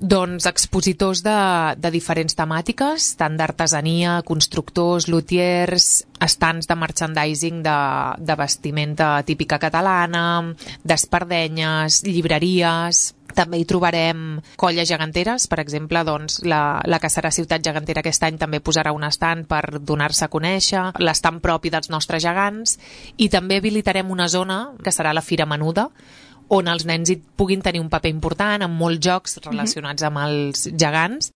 Doncs expositors de diferents temàtiques, tant d'artesania, constructors, lutiers, estants de merchandising de vestimenta típica catalana, d'espardenyes, llibreries. També hi trobarem colles geganteres, per exemple, doncs, la que serà Ciutat Gegantera aquest any també posarà un estand per donar-se a conèixer, l'estant propi dels nostres gegants, i també habilitarem una zona que serà la Fira Menuda, on els nens hi puguin tenir un paper important amb molts jocs relacionats amb els gegants.